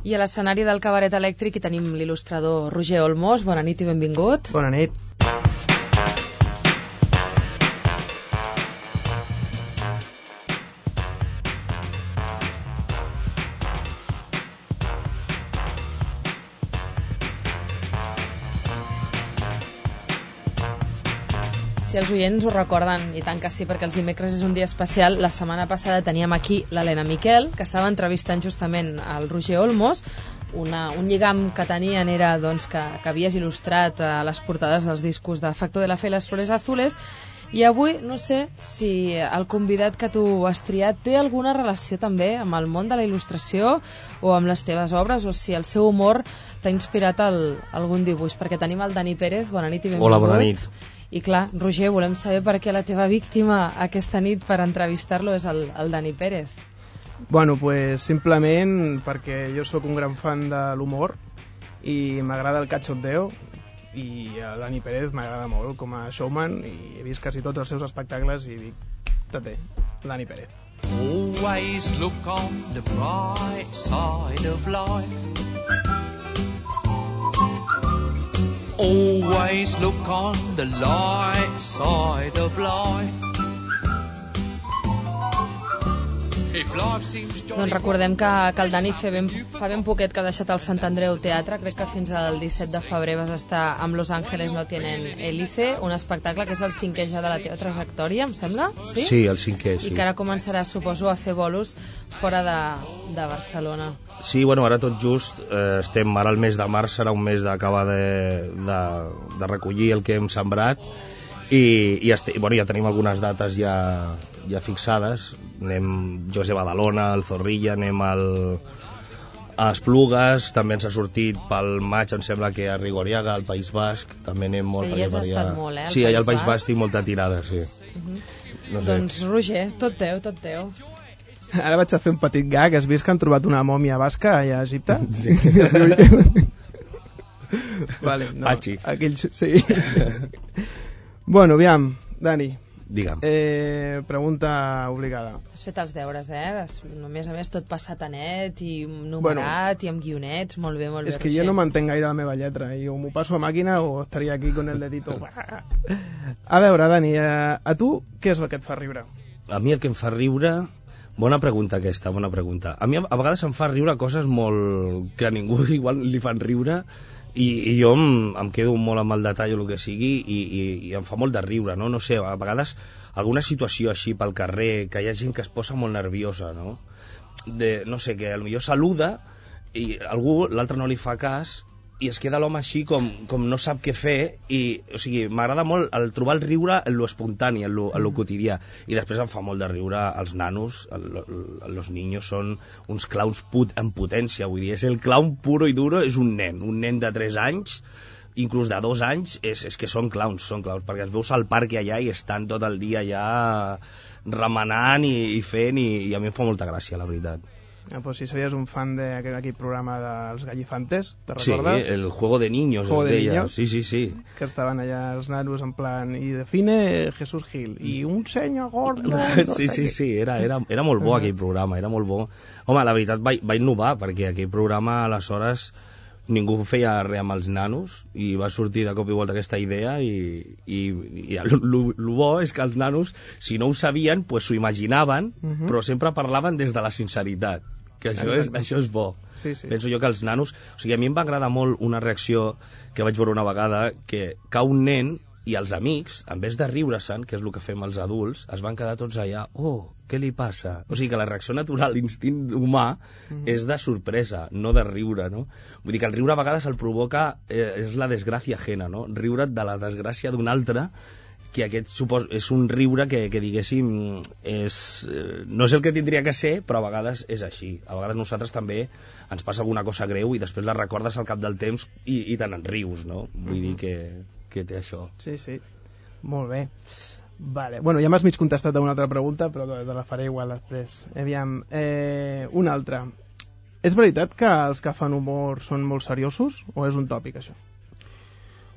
I a l'escenari del Cabaret Elèctric hi tenim l'il·lustrador Roger Olmos. Bona nit i benvingut. Bona nit. Si els oients ho recorden, i tant que sí, perquè els dimecres és un dia especial, la setmana passada teníem aquí l'Helena Miquel, que estava entrevistant justament el Roger Olmos. Un lligam que tenien era doncs, que havies il·lustrat les portades dels discos de Facto de la Fe i les Flores Azules, i avui no sé si el convidat que tu has triat té alguna relació també amb el món de la il·lustració o amb les teves obres, o si el seu humor t'ha inspirat algun dibuix, perquè tenim el Dani Pérez. Bona nit i benvingut. Hola, bona nit. I clar, Roger, volem saber per què la teva víctima aquesta nit per entrevistar-lo és el Dani Pérez. Bueno, pues simplement perquè jo sóc un gran fan de l'humor i m'agrada el cachondeo, i el Dani Pérez m'agrada molt com a showman, i he vist quasi tots els seus espectacles i dic, tate, Dani Pérez. Always look on the bright side of life. Always look on the light side of life. Doncs recordem que el Dani fa ben poquet que ha deixat el Sant Andreu Teatre. Crec que fins al 17 de febrer vas estar amb Los Ángeles no tienen hélice, un espectacle que és el 5è ja de la teva trajectòria, em sembla? Sí, sí, el 5è, sí. I que ara començaràs, suposo, a fer bolos fora de Barcelona. Sí, bueno, ara tot just estem, ara el mes de març serà un mes d'acabar de recollir el que hem sembrat, i bueno, ja tenim algunes dates ja fixades. Anem, jo sé, a Badalona, al Zorrilla, anem a Esplugues, també ens ha sortit pel maig, em sembla que a Rigoriaga, al País Basc, també anem molt. Sí, ja has estat molt, sí, allà al País Basc tinc molta tirada, sí. No sé. Doncs Roger, tot teu. Ara vaig a fer un petit gag. Has vist que han trobat una mòmia basca allà a Egipte? Sí. Vale, no, Pachi. Aquells, sí. Bueno, aviam, Dani. Digue'm. Pregunta obligada. Has fet els deures, A més a més, tot passat a net i numerat, i amb guionets. Molt bé, És que jo no m'entenc gaire la meva lletra, i o m'ho passo a màquina o estaria aquí con el dedito. A veure, Dani, a tu què és el que et fa riure? A mi el que em fa riure... Bona pregunta aquesta, bona pregunta. A mi a vegades em fa riure coses molt... que a ningú igual li fan riure, i jo em quedo molt amb el detall o el que sigui, i em fa molt de riure, no? No sé, a vegades alguna situació així pel carrer, que hi ha gent que es posa molt nerviosa, no? No sé, que potser saluda i algú, l'altre no li fa cas, i es queda l'home així com no sap què fer, o sigui, m'agrada molt trobar el riure en lo espontani, en lo quotidià, i després em fa molt de riure els nanos. Los niños són uns clowns en potència, vull dir, és el clown puro i duro, és un nen de 3 anys, inclús de 2 anys, és que són clowns, perquè els veus al parc allà i estan tot el dia allà remenant i fent, i a mi em fa molta gràcia, la veritat. Pues si serías un fan d'aquell programa dels Gallifantes, ¿te recuerdas? Sí, el Juego de Niños, Juego de Niños. Sí. Que estaven allà els nanos en plan, i define Jesús Gil, i un senyor gordo... Sí, era molt bo aquell programa, era molt bo. Home, la veritat va innovar, perquè aquell programa aleshores ningú feia res amb els nanos, i va sortir de cop i volta aquesta idea, i el bo és que els nanos, si no ho sabien, pues s'ho imaginaven, però sempre parlaven des de la sinceritat, que això és bo. Sí. Penso jo que els nanos... O sigui, a mi em va agradar molt una reacció que vaig veure una vegada, que cau un nen i els amics, en vez de riure-se'n, que és el que fem els adults, es van quedar tots allà, què li passa? O sigui que la reacció natural, l'instint humà, és de sorpresa, no de riure, no? Vull dir que el riure a vegades el provoca, és la desgràcia ajena, no? Riure't de la desgràcia d'un altre, que aquest és un riure que diguéssim no és el que tindria que ser, però a vegades és així. A vegades nosaltres també ens passa alguna cosa greu i després la recordes al cap del temps i te n'en rius, no? Vull dir que té això. Sí, molt bé. Vale. Bueno, ja m'has mig contestat a una altra pregunta, però te la faré igual després. Aviam, una altra. És veritat que els que fan humor són molt seriosos o és un tòpic, això?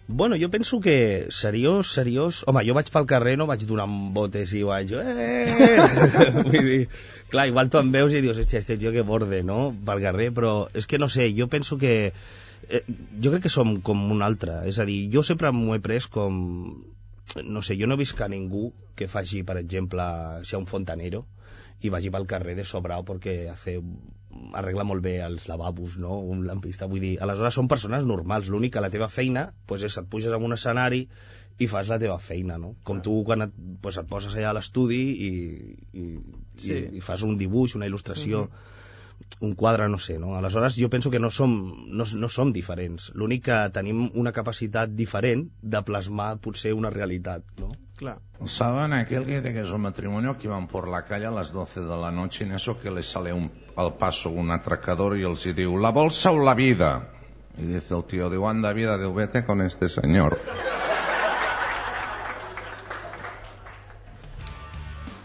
Bueno, jo penso que seriós... Home, jo vaig pel carrer, no vaig donant botes i vaig... Vull dir, clar, igual tu em veus i dius, hòstia, este tio que borde, no?, pel carrer, però és que no sé, jo penso que... jo crec que som com un altre, és a dir, jo sempre m'ho he pres com... No sé, jo no he vist que ningú que faci, per exemple, si un fontanero, i vagi pel carrer de sobrao perquè arregla molt bé els lavabos, no?, un lampista, vull dir, aleshores són persones normals, l'únic que la teva feina pues, és et puges en un escenari i fas la teva feina, no? Com tu quan et poses allà a l'estudi i fas un dibuix, una il·lustració, un quadre, no sé, no? Aleshores jo penso que no som diferents, l'únic que tenim una capacitat diferent de plasmar potser una realitat, no? Claro. ¿Saben aquel que dice que es un matrimonio que iban por la calle a las 12 de la noche y en eso que les sale al paso un atracador y él se dice, ¿la bolsa o la vida? Y dice el tío, digo, anda vida, digo, vete con este señor.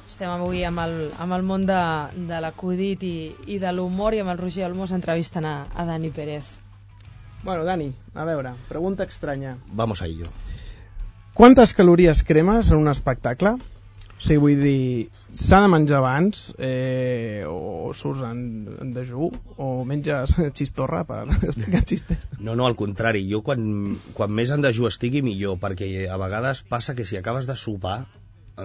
Estem avui amb el món de l'acudit i de l'humor i amb el Roger Olmos entrevistant a Dani Pérez. Bueno, Dani, a veure, pregunta estranya. Vamos a ello. Quantes calories cremes en un espectacle? O sigui, vull dir, s'ha de menjar abans o surts en dejú o menges xistorra per explicar xistes? No, al contrari, jo quan més en dejú estigui millor, perquè a vegades passa que si acabes de sopar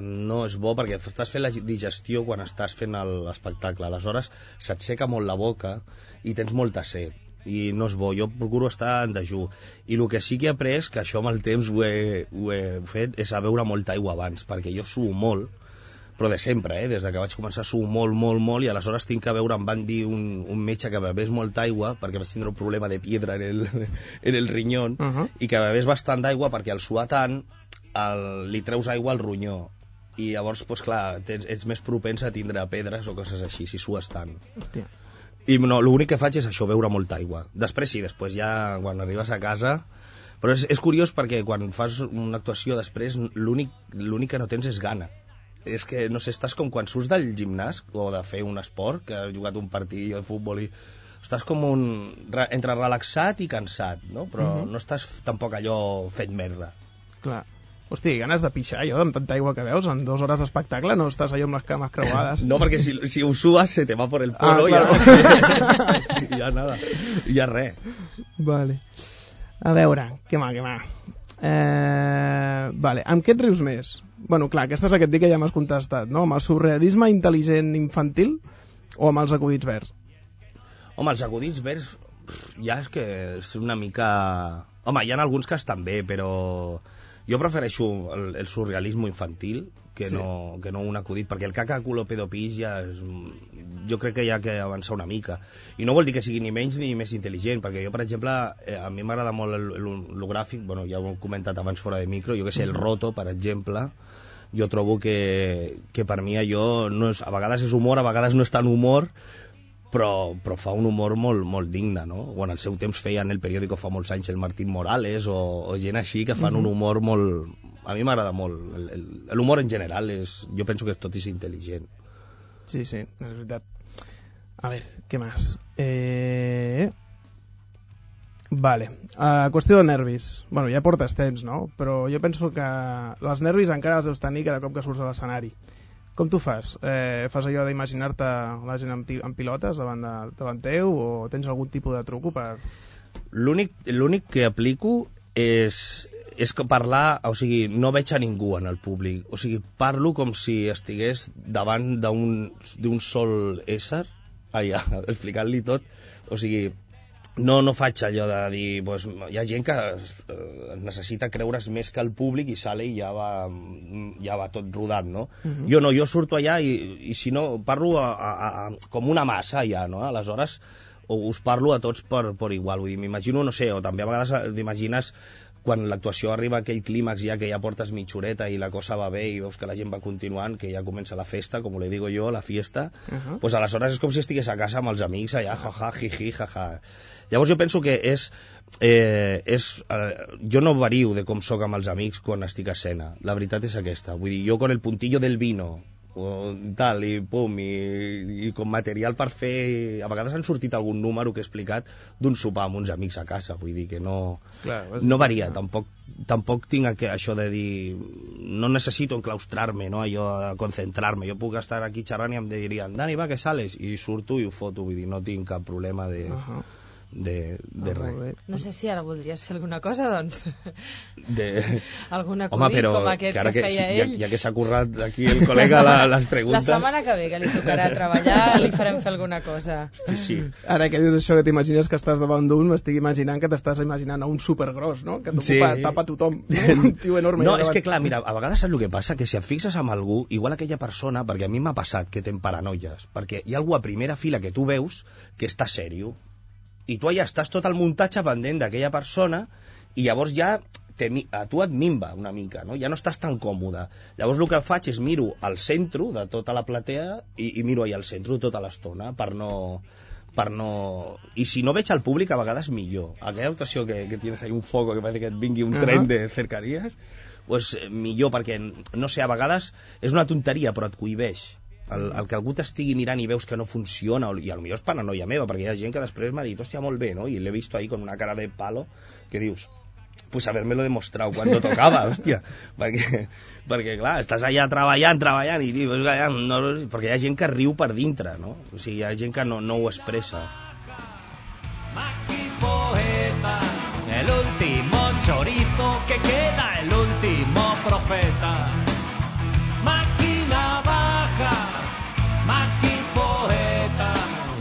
no és bo perquè estàs fent la digestió quan estàs fent l'espectacle, aleshores s'aixeca molt la boca i tens molta set i no és bo, jo procuro estar en dejú i el que sí que he après, que això amb el temps ho he fet, és a beure molta aigua abans, perquè jo suo molt, però de sempre, des que vaig començar suo molt i aleshores tinc que beure, em van dir un metge que bevés molta aigua perquè vaig tindre un problema de piedra en el rinyón i que bevés bastant d'aigua perquè al suar tant li treus aigua al ronyó i llavors, doncs clar, ets més propens a tindre pedres o coses així si sues tant. Hòstia. I no, l'únic que faig és això, beure molta aigua. Després sí, després ja quan arribes a casa... Però és curiós perquè quan fas una actuació després l'únic que no tens és gana. És que, no sé, estàs com quan surts del gimnàs o de fer un esport, que has jugat un partit de futbol i... Estàs com entre relaxat i cansat, no? Però no estàs tampoc allò fet merda. Clar. Hosti, ganes de pixar, jo, amb tanta aigua que veus, en 2 hores d'espectacle no estàs allò amb les cames creuades. No, perquè si ho sues se te va por el polo claro. ja nada, ja res. Vale. A veure, què mà. Vale, amb què et rius més? Bueno, clar, aquesta és aquest dia que ja m'has contestat, no? Amb el surrealisme intel·ligent infantil o amb els acudits verds? Home, els acudits verds ja és que és una mica... Home, hi ha alguns que estan bé, però... Jo prefereixo el surrealisme infantil que no un acudit, perquè el caca culo pedo pis ja és, jo crec que hi ha que avançar una mica i no vol dir que sigui ni menys ni més intel·ligent, perquè jo, per exemple, a mi m'agrada molt el gràfic, bueno, ja ho he comentat abans fora de micro, jo que sé, el roto, per exemple, jo trobo que per mi allò no és, a vegades és humor, a vegades no és tan humor, però fa un humor molt digne, no? O en el seu temps feien el periòdico fa molts anys el Martín Morales o gent així que fan un humor molt... A mi m'agrada molt. L'humor en general jo penso que tot és intel·ligent. Sí, és veritat. A veure, què més? Vale. Qüestió de nervis. Bueno, ja portes temps, no? Però jo penso que els nervis encara els deus tenir cada cop que surts a l'escenari. Com tu fas? Fas allò d'imaginar-te la gent en pilotes davant teu o tens algun tipus de truco per... L'únic que aplico és parlar, o sigui, no veig a ningú en el públic, o sigui, parlo com si estigués davant d'un sol ésser, allà, explicant-li tot, o sigui, no faig allò de dir, pues, hi ha gent que necessita creure's més que el públic i sale i ja va tot rodat, no? Jo no, jo surto allà i si no, parlo com una massa allà, no? Aleshores, us parlo a tots per igual, vull dir, m'imagino, no sé, o també a vegades t'imagines quan l'actuació arriba a aquell clímax ja que ja portes mitja horeta i la cosa va bé i veus que la gent va continuant, que ja comença la festa, com le digo jo, la fiesta, pues aleshores és com si estigués a casa amb els amics allà, jaja, jiji, jaja. Llavors jo penso que jo no vario de com sóc amb els amics quan estic a escena, la veritat és aquesta, vull dir, jo con el puntillo del vino tal, i pum, i com material per fer... A vegades han sortit algun número que he explicat d'un sopar amb uns amics a casa, vull dir que no, no varia, tampoc tinc això de dir no necessito enclaustrar-me, no? Allò de concentrar-me, jo puc estar aquí xerrant i em dirien, Dani, va, que sales? I surto i ho foto, vull dir, no tinc cap problema de res. No sé si ara voldries fer alguna cosa, doncs. Algun acudit Home, però com aquest que feia ell. Ja que s'ha currat aquí el col·lega les preguntes... La setmana que ve, que li tocarà treballar, li farem fer alguna cosa. Sí. Ara que dius això que t'imagines que estàs davant d'un, m'estic imaginant que t'estàs imaginant a un supergros, no? Que tapa tothom, un tio enorme. No, és que clar, mira, a vegades saps el que passa? Que si et fixes amb algú, igual aquella persona, perquè a mi m'ha passat que ten paranoies, perquè hi ha algú a primera fila que tu veus que està sèrio, i tu allà estàs tot el muntatge pendent d'aquella persona i llavors ja a tu et minva una mica, no? Ja no estàs tan còmode. Llavors el que faig és miro al centre de tota la platea i miro allà al centre tota l'estona per no... I si no veig al públic, a vegades millor. Aquella actuació que tienes ahí un foco que parece que et vingui un tren de cercanías, pues millor, perquè, no sé, a vegades és una tonteria, però et cohibeix. El que algú t'estigui mirant i veus que no funciona, i potser és paranoia meva, perquè hi ha gent que després m'ha dit, hòstia, molt bé, no? I l'he vist ahí con una cara de palo, que dius, pues haberme-lo demostrado cuando tocava, hòstia, perquè clar, estàs allà treballant, i dius, no, perquè hi ha gent que riu per dintre, no? O sigui, hi ha gent que no ho expressa. Maki poeta, el último chorizo que queda, el último profeta. Máquina baja, Maki poeta,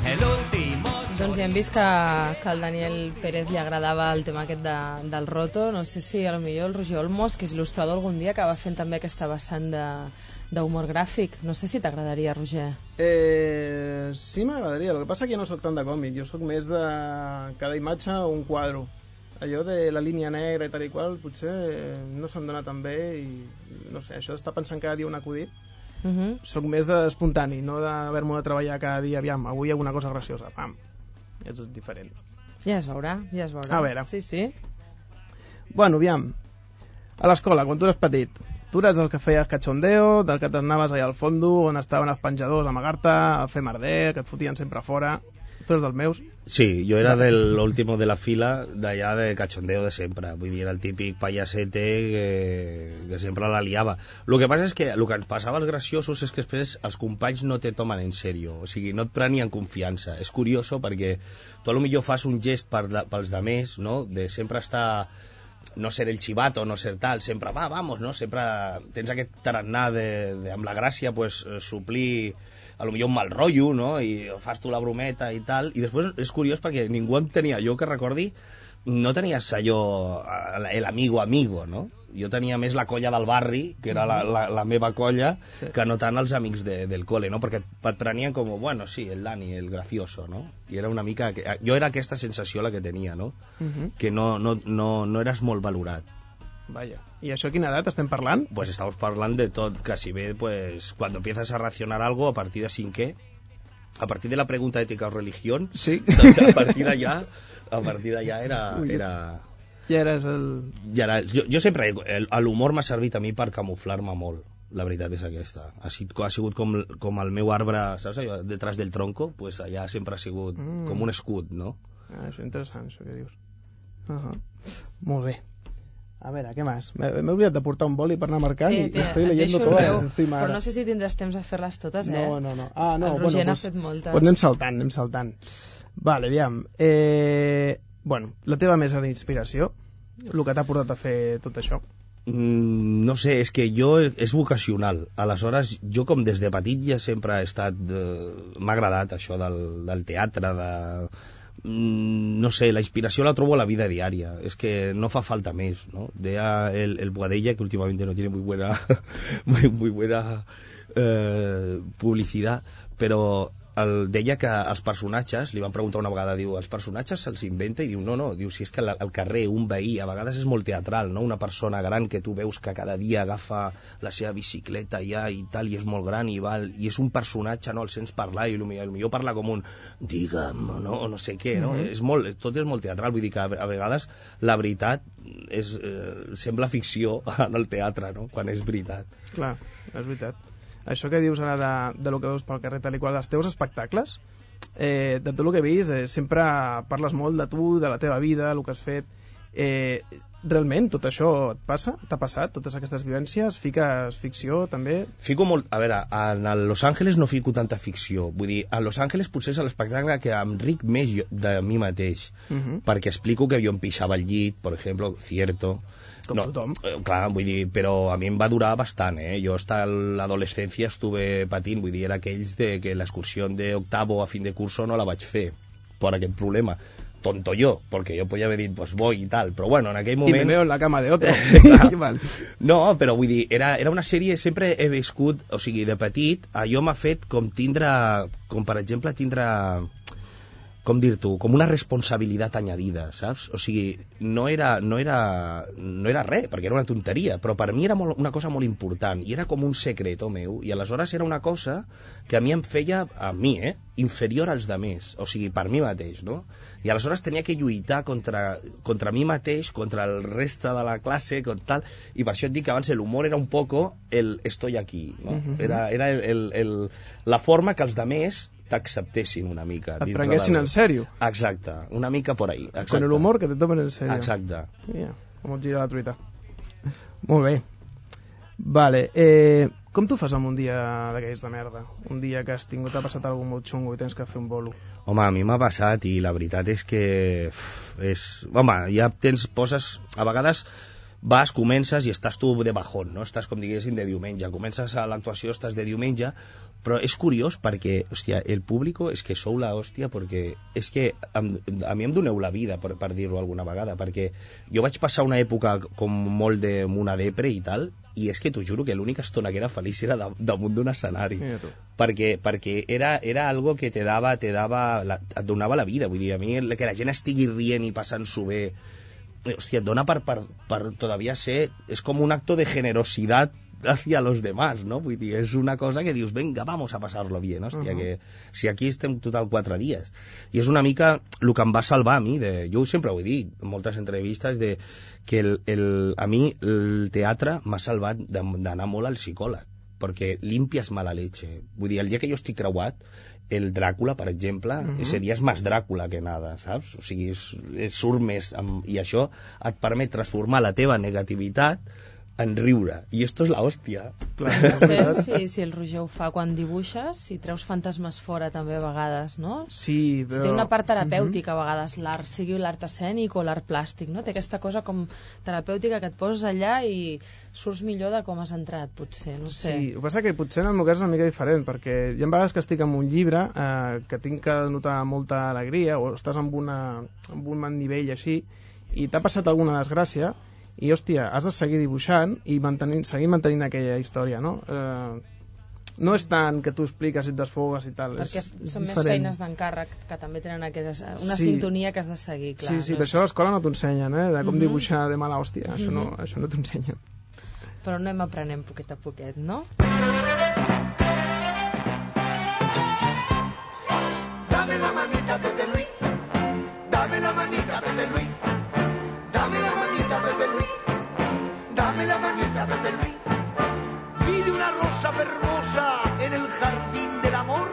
el último... Doncs ja hem vist que al Daniel Pérez li agradava el tema aquest del roto. No sé si potser el Roger Olmos, que és il·lustrador, algun dia acaba fent també aquesta vessant d'humor gràfic. No sé si t'agradaria, Roger. Sí, m'agradaria. El que passa que jo no soc tant de còmic. Jo soc més de cada imatge un quadro. Allò de la línia negra i tal i qual potser no se'm dona tan bé i no sé, això d'estar pensant cada dia un acudit soc més d'espontani, no d'haver-m'ho de treballar cada dia, aviam, avui alguna cosa graciosa, pam, és diferent. Ja es veurà. A veure. Sí. Bueno, aviam, a l'escola, quan tu eres petit, tu eres el que feies cachondeo, del que t'anaves allà al fondo, on estaven els penjadors a amagar-te, a fer merder, que et fotien sempre fora. Tu eres dels meus? Sí, jo era del último de la fila d'allà de cachondeo de sempre. Vull dir, era el típic payasete que sempre la liava. El que passa és que el que ens passava als graciosos és que després els companys no te tomen en sèrio, o sigui, no et prenien confiança. És curioso perquè tu potser fas un gest pels demés, no?, de sempre estar... no ser el chivato, no ser tal, sempre vamos, no? Sempre tens aquest tarannà amb la gràcia, pues, suplir a lo millor un mal rotllo, no? I fas tu la brometa i tal, i després és curiós perquè ningú en tenia, jo que recordi, no tenies allò, el amigo, no? Jo tenia més la colla del barri, que era la meva colla, sí, que no tant els amics del cole, no? Perquè et prenien com, bueno, sí, el Dani, el gracioso, no? I era una mica... Jo era aquesta sensació la que tenia, no? Que no eres molt valorat. Vaya. ¿Y això a quina edat estem parlant? Pues estamos parlant de tot, casi ve, pues, cuando empiezas a racionar algo a partir de cinquè, a partir de la pregunta ética o religión, sí, doncs a partir d'allà era... Ja eres el... Ja era, jo sempre, l'humor m'ha servit a mi per camuflar-me molt, la veritat és aquesta. Ha sigut com el meu arbre, saps allò, detrás del tronco, pues allà sempre ha sigut com un escut, no? Ah, això és interessant, això que dius. Molt bé. A veure, què més? M'he oblidat de portar un boli per anar marcant i estoy leyendo todas encima. Però no sé si tindràs temps de fer-les totes, eh? No. Ah, no, el Roger n'ha fet moltes. Pues anem saltant. Vale, aviam. Bueno, la teva més gran inspiració, el que t'ha portat a fer tot això? No sé, és que jo és vocacional. Aleshores, jo com des de petit ja sempre he estat... m'ha agradat això del teatre, no sé, la inspiració la trobo a la vida diària, es que no fa falta més, ¿no? Deia el Boadella, que últimamente no tiene muy buena publicidad, però deia que els personatges, li van preguntar una vegada, diu, els personatges se'ls inventa? I diu, no, diu, si és que al carrer un veí a vegades és molt teatral, no? Una persona gran que tu veus que cada dia agafa la seva bicicleta ja i tal, i és molt gran i és un personatge, no? El sents parlar i potser parla com un digue'm, no sé què, no? Tot és molt teatral, vull dir que a vegades la veritat sembla ficció en el teatre, no? Quan és veritat. Clar, és veritat. això que dius ara de lo que veus pel carrer tal i qual, dels teus espectacles, de tot el que he vist, sempre parles molt de tu, de la teva vida, el que has fet. Realment tot això et passa? T'ha passat, totes aquestes vivències? Fiques ficció també? Fico molt... A veure, a Los Angeles no fico tanta ficció. Vull dir, a Los Angeles potser és l'espectacle que em ric més de mi mateix, perquè explico que jo em pixava al llit, per exemple, cierto. Com tothom. Clar, vull dir, però a mi em va durar bastant, Jo hasta l'adolescència estuve patint, vull dir, era aquells de que l'excursió d'octavo a fin de curso no la vaig fer, per aquest problema. Tonto yo, porque yo podía haber dit, pues voy y tal, però bueno, en aquell moment... I me veo en la cama de otro. No, però vull dir, era una sèrie, sempre he viscut, o sigui, de petit, allò m'ha fet com per exemple, com dir-t'ho, com una responsabilitat añadida, saps? O sigui, no era res, perquè era una tonteria, però per mi era una cosa molt important, i era com un secreto meu, i aleshores era una cosa que a mi em feia, inferior als demés, o sigui, per mi mateix, no? I aleshores tenia que lluitar contra mi mateix, contra el reste de la classe, tal, i per això et dic que abans l'humor era un poco el estoy aquí, no? Era la forma que els demés t'acceptessin una mica. Et prenguessin en sèrio. Exacte, una mica por ahí. Exacte. Con el humor que te tomen en sèrio. Exacte. Mira, com et gira la truita. Molt bé. Vale, com tu fas amb un dia d'aquells de merda? Un dia que t'ha passat alguna molt xungo i tens que fer un bolo? Home, a mi m'ha passat i la veritat és que home, ja poses, a vegades vas, comences i estàs tu de bajón, no? Estàs com diguéssim de diumenge, comences a l'actuació, estàs de diumenge, però és curiós perquè, hòstia, el públic és que sou la hòstia, perquè és que a mi em doneu la vida, per dir-ho alguna vegada, perquè jo vaig passar una època com molt amb una depre i tal, i és que t'ho juro que l'única estona que era feliç era damunt d'un escenari, perquè era algo que et donava la vida, vull dir, a mi que la gent estigui rient i passant-s'ho bé, hòstia, et dona per todavía ser, és com un acto de generositat hacia los demás, ¿no? Vull dir, és una cosa que dius, venga, vamos a pasarlo bien, hòstia, que si aquí estem total 4 dies. I és una mica el que em va salvar a mi, jo sempre ho he dit en moltes entrevistes, que a mi el teatre m'ha salvat d'anar molt al psicòleg, perquè limpies mala leche. Vull dir, el dia que jo estic creuat, el Dràcula, per exemple, ese dia és més Dràcula que nada, saps? O sigui, surt més, i això et permet transformar la teva negativitat en riure, i esto és la hòstia. No sé si el Roger ho fa quan dibuixes, si treus fantasmes fora també a vegades, no? Sí, però... Si té una part terapèutica a vegades, l'art, sigui l'art escènic o l'art plàstic, no? Té aquesta cosa com terapèutica que et poses allà i surts millor de com has entrat, potser, no sé. Sí, el que passa que potser en el meu cas és una mica diferent, perquè hi ha vegades que estic amb un llibre que tinc que notar molta alegria, o estàs amb un nivell així, i t'ha passat alguna desgràcia, i hòstia, has de seguir dibuixant i seguir mantenint aquella història, no? No és tant que tu expliques i et desfogues i tal. Perquè són més feines d'encàrrec que també tenen una sintonia que has de seguir, clar. Sí, per això a l'escola no t'ensenyen, de com dibuixar de mala hòstia, això no t'ensenyen. Però anem aprenent poquet a poquet, no? Dame la manita, Pepe Luis. Dame la manita, Pepe Luis. Dame la manita, Pepe Luis. Dame la manita, Pepe Luis. Vi de una rosa hermosa en el jardín del amor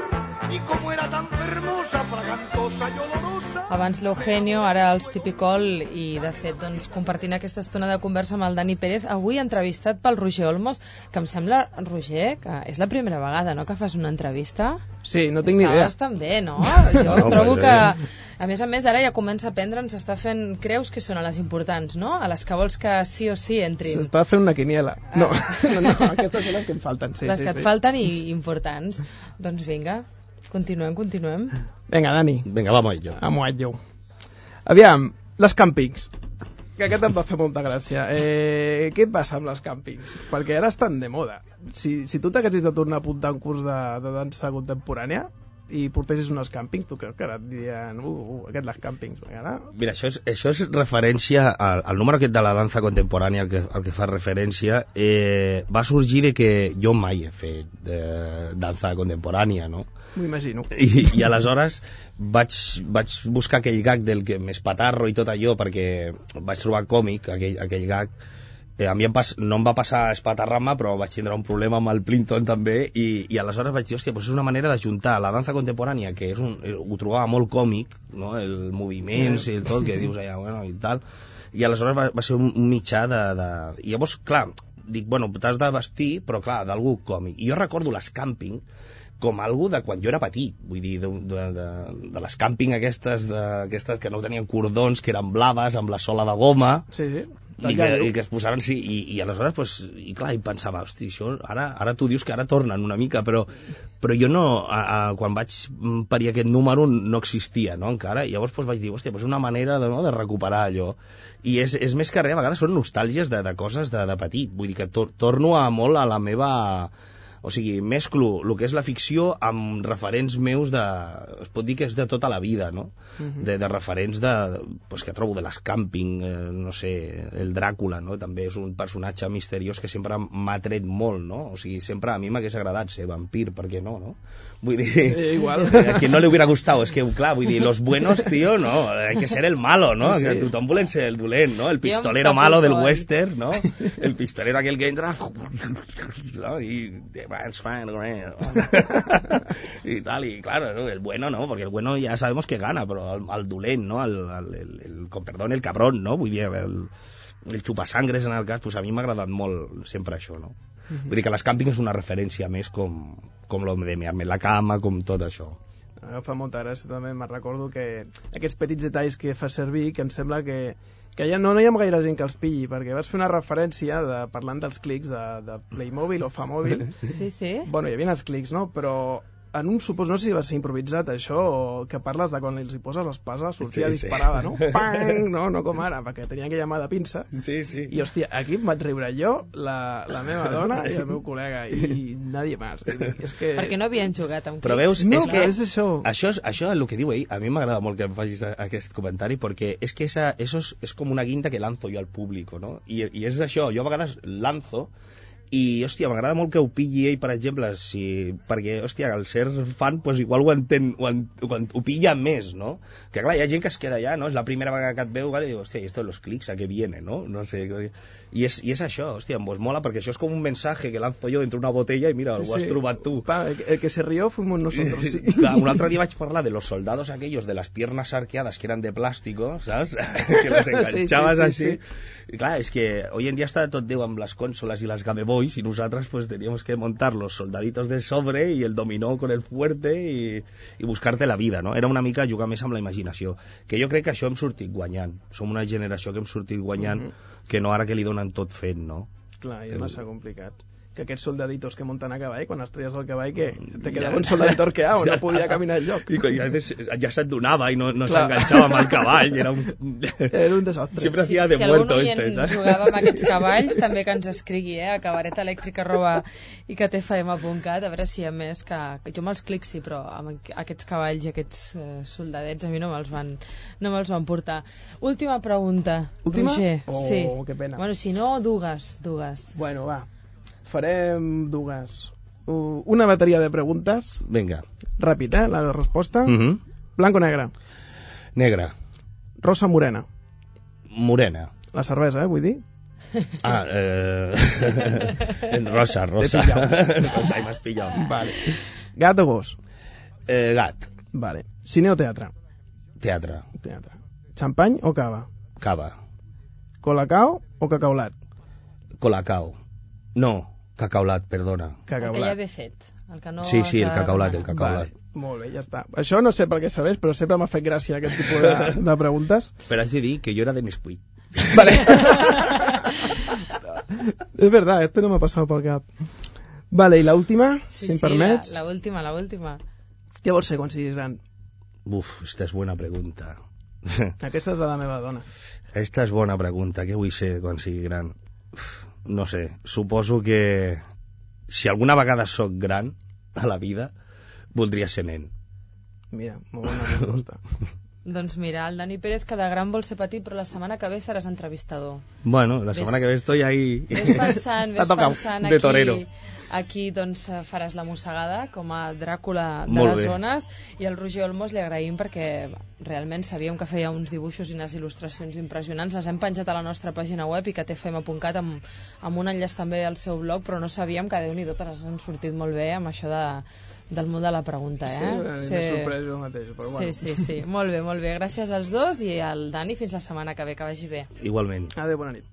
y como era tan hermosa, fragantosa y olorosa. Abans l'Eugenio, ara els Tipicol, i de fet doncs, compartint aquesta estona de conversa amb el Dani Pérez, avui entrevistat pel Roger Olmos, que em sembla, Roger, que és la primera vegada, no?, que fas una entrevista. Sí, no tinc ni idea. Està bastant bé, no? Jo trobo que, a més, ara ja comença a prendre, ens està fent creus que són a les importants, no? A les que vols que sí o sí entrin. S'està fent una quiniela. No, aquestes són les que em falten, sí. Les que et falten i importants. Doncs vinga, continuem. Vinga, Dani. Vinga, vamos a ello. Aviam, les càmpings. Que aquest em va fer molta gràcia. Què et passa amb les càmpings? Perquè ara estan de moda. Si tu t'haguessis de tornar a apuntar un curs de dansa contemporània i portessis unes càmpings, tu creus que ara et dirien aquest les càmpings? Mira, això és referència al número aquest de la dansa contemporània al que fa referència, va sorgir de que jo mai he fet dansa contemporània, no? M'ho imagino. I aleshores vaig buscar aquell gag del que més patarro i tot allò, perquè vaig trobar còmic aquell gag, A mi no em va passar espatarrama, però vaig tindre un problema amb el Plinton també, i aleshores vaig dir, hòstia, doncs és una manera d'ajuntar la dansa contemporània, que ho trobava molt còmic, no? El moviments i el tot, que dius allà, bueno, i tal, i aleshores va ser un mitjà I llavors, clar, dic, bueno, t'has de vestir, però clar, d'algú còmic. I jo recordo les càmping com algo de quan jo era petit, vull dir, de les càmping aquestes que no tenien cordons, que eren blaves, amb la sola de goma, Sí. i que es posaven, sí, i aleshores, pues, i clar, i pensava, hosti, això, ara tu dius que ara tornen una mica, però jo no, quan vaig parir aquest número no existia, no, encara, i llavors pues, vaig dir, hòstia, pues una manera de recuperar allò, i és més que res, a vegades són nostàlgies de coses de petit, vull dir que torno molt a la meva... O sigui, mesclo el que és la ficció amb referents meus es pot dir que és de tota la vida, no? De referents pues, que trobo de les càmping, no sé, el Dràcula, no? També és un personatge misteriós que sempre m'ha tret molt, no? O sigui, sempre a mi m'hagués agradat ser vampir, per què no, no? Vull dir, igual. A quien no le hubiera gustado, és que, clar, vull dir, los buenos, tío, no, hay que ser el malo, no? Sí. Que tothom volem ser el dolent, no? El pistolero malo del western, no? El pistolero aquel que entra, ¿no? Y it's fine, y tal, y claro, ¿no? El bueno no, porque el bueno ya sabemos que gana, pero al dolent, ¿no? Con perdón, el cabrón, ¿no? Vull dir, el xupasangres en el cas, pues a mi m'ha agradat molt sempre això, no? Vull dir que les càmping és una referència més com lo de mear-me la cama, com tot això. Fa molta gràcia també, me'n recordo que aquests petits detalls que fa servir, que em sembla que ja no hi ha gaire gent que els pilli, perquè vas fer una referència parlant dels clics de Playmobil o Famòbil. Sí. Bueno, hi havia els clics, no? Però en un supòs, no sé si va ser improvisat això, o que parles de quan els hi poses l'espasa sortia disparada, no? Pang! No com ara, perquè tenia aquella mà de pinça. Sí. I, hòstia, aquí em vaig riure jo, la meva dona i el meu col·lega, i nadie más. És que... Perquè no havien jugat amb Però veus, No, és que és això. Això és el que diu ell. A mi m'agrada molt que em facis aquest comentari, perquè és que eso és com una guinda que lanzo jo al públic, no? I és això, jo a vegades lanzo, i, hòstia, m'agrada molt que ho pilli ell, per exemple, perquè, hòstia, al ser fan, pues igual ho entén, ho pilla més, no? Que clar, hi ha gent que es queda allà, no? És la primera vegada que et veu, vale, i diu, hòstia, esto de los clics, ¿a qué viene, no? No sé, i és això, hòstia, pues mola, perquè això és com un mensaje que lanzo jo entre una botella i mira, ho has trobat tu. El que se rió fuimos nosotros, sí. Clar, un altre dia vaig parlar de los soldados aquellos de las piernas arqueadas que eran de plástico, ¿sabes? Que los enganchabas así. Y claro, es que hoy en día está tot Déu amb les consolas y las Game Boys y nosotros pues teníamos que montar los soldaditos de sobre y el dominó con el fuerte y buscarte la vida, no? Era una mica jugar més amb la imaginació, que jo crec que això hem sortit guanyant. Som una generació que hem sortit guanyant, que no ara que li donen tot fet, no? Clar, i és massa complicat. Que aquests soldaditos que munten a cavall, quan es treies el cavall, que te quedava un soldadito arqueado, no podia caminar enlloc. I a veces ja se't donava i no s'enganxava amb el cavall, era un desastre. Sempre hacía de muerto si algun oient jugava amb aquests cavalls, també que ens escrigui, a cabaretelèctrica@icatfm.cat, a veure si hi ha més que jo me'ls clics, sí, però amb aquests cavalls i aquests soldadets a mi no me'ls van portar. Última pregunta, Última? Roger. Sí. Que pena. Bueno, si no, dues. Bueno, va. Farem dues. Una bateria de preguntes. Vinga. Ràpid, la resposta. Blanc o negre? Negre. Rosa o morena? Morena. La cervesa, vull dir. Rosa. Rosa, i m'has pillat. Vale. Gat o gos? Gat. Vale. Cine o teatre? Teatre. Xampany o cava? Cava. Colacao o cacaolat? Colacao. No, cacaolat, perdona. El que ja ve fet. El que no sí, el cacaolat. Vale, molt bé, ja està. Això no sé per què serveix, però sempre m'ha fet gràcia aquest tipus de preguntes. Però haig de dir que jo era de Nesquik. Vale. Es verdad, esto no me ha pasado por el cap. Vale, i l'última, si em permets? La última. Què vols ser quan siguis gran? Esta és bona pregunta. Aquesta és de la meva dona. Esta és bona pregunta. Què vull ser quan sigui gran? No sé, suposo que si alguna vegada sóc gran a la vida, voldria ser nen. Mira, molt bona resposta. Doncs mira, el Dani Pérez que de gran vol ser petit, però la setmana que ve seràs entrevistador. Bueno, la setmana que ve estoy ahí... Ves pensant de torero. Aquí doncs faràs la mossegada com a Dràcula de Molt les bé. zones, i al Roger Olmos li agraïm perquè realment sabíem que feia uns dibuixos i unes il·lustracions impressionants. Les hem penjat a la nostra pàgina web i icatfm.cat amb un enllaç també al seu blog, però no sabíem que, Déu-n'hi-do, te les han sortit molt bé amb això del món de la pregunta, Sí, m'he sorprès jo mateix, però bueno. Sí. Molt bé, molt bé. Gràcies als dos i al Dani, fins la setmana que ve, que vagi bé. Igualment. Adéu, bona nit.